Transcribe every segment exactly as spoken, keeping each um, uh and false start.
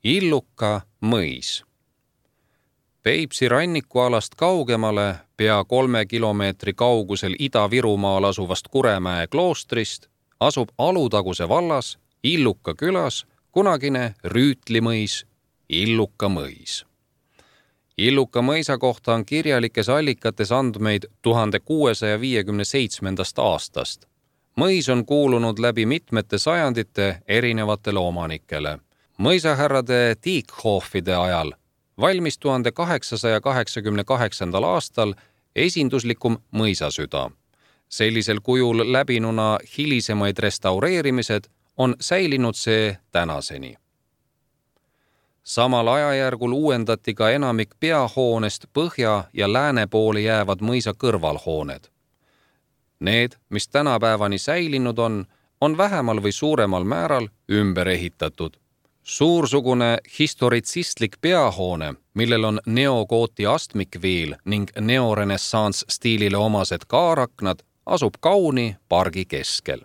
Illuka mõis. Peipsi rannikualast kaugemale, pea kolme kilomeetri kaugusel Ida-Virumaal asuvast Kuremäe kloostrist, asub Alutaguse vallas Illuka külas kunagine Rüütlimõis, Illuka mõis. Illuka mõisa kohta on kirjalikes allikates andmeid tuhande kuuesaja viiekümne seitsmendast aastast. Mõis on kuulunud läbi mitmete sajandite erinevatele omanikele. Mõisahärrade Tiikhoffide ajal valmis tuhande kaheksasaja kaheksakümne kaheksandal aastal esinduslikum mõisasüda. Sellisel kujul läbinuna hilisemaid restaureerimised on säilinud see tänaseni. Samal ajajärgul uuendati ka enamik peahoonest põhja ja lääne poole jäävad mõisa kõrvalhooned. Need, mis tänapäevani säilinud on, on vähemal või suuremal määral ümber ehitatud. Suursugune historitsistlik peahoone, millel on neogooti astmikviil ning neorenessants stiilile omased kaaraknad, asub kauni pargi keskel.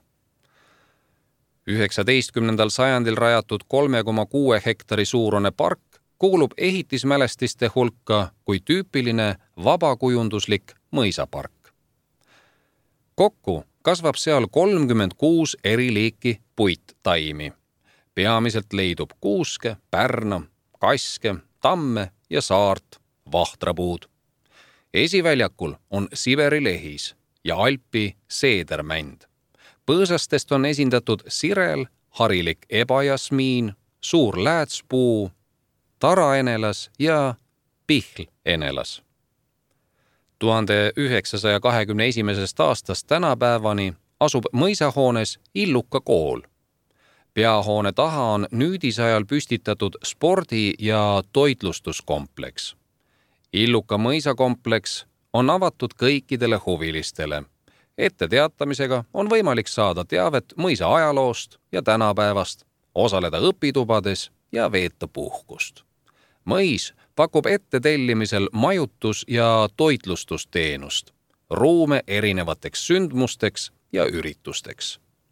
üheksateistkümnendal sajandil rajatud kolme koma kuue hektari suurune park kuulub ehitismälestiste hulka kui tüüpiline vabakujunduslik mõisapark. Kokku kasvab seal kolmkümmend kuus eri liiki puittaimi. Peamiselt leidub kuuske, pärna, kaske, tamme ja saart, vahtrapuud. Esiväljakul on Siberi lehis ja Alpi seedermänd. Põõsastest on esindatud sirel, harilik ebajasmiin, suur läätspuu, taraenelas ja pihl-enelas. tuhande üheksasaja kahekümne esimesest aastast tänapäevani asub mõisahoones Illuka kool. Peahoone taha on nüüdisajal püstitatud spordi- ja toitlustuskompleks. Illuka mõisakompleks on avatud kõikidele huvilistele. Etteteatamisega on võimalik saada teavet mõisa ajaloost ja tänapäevast, osaleda õpitubades ja veeta puhkust. Mõis pakub ette tellimisel majutus- ja toitlustusteenust, ruume erinevateks sündmusteks ja üritusteks.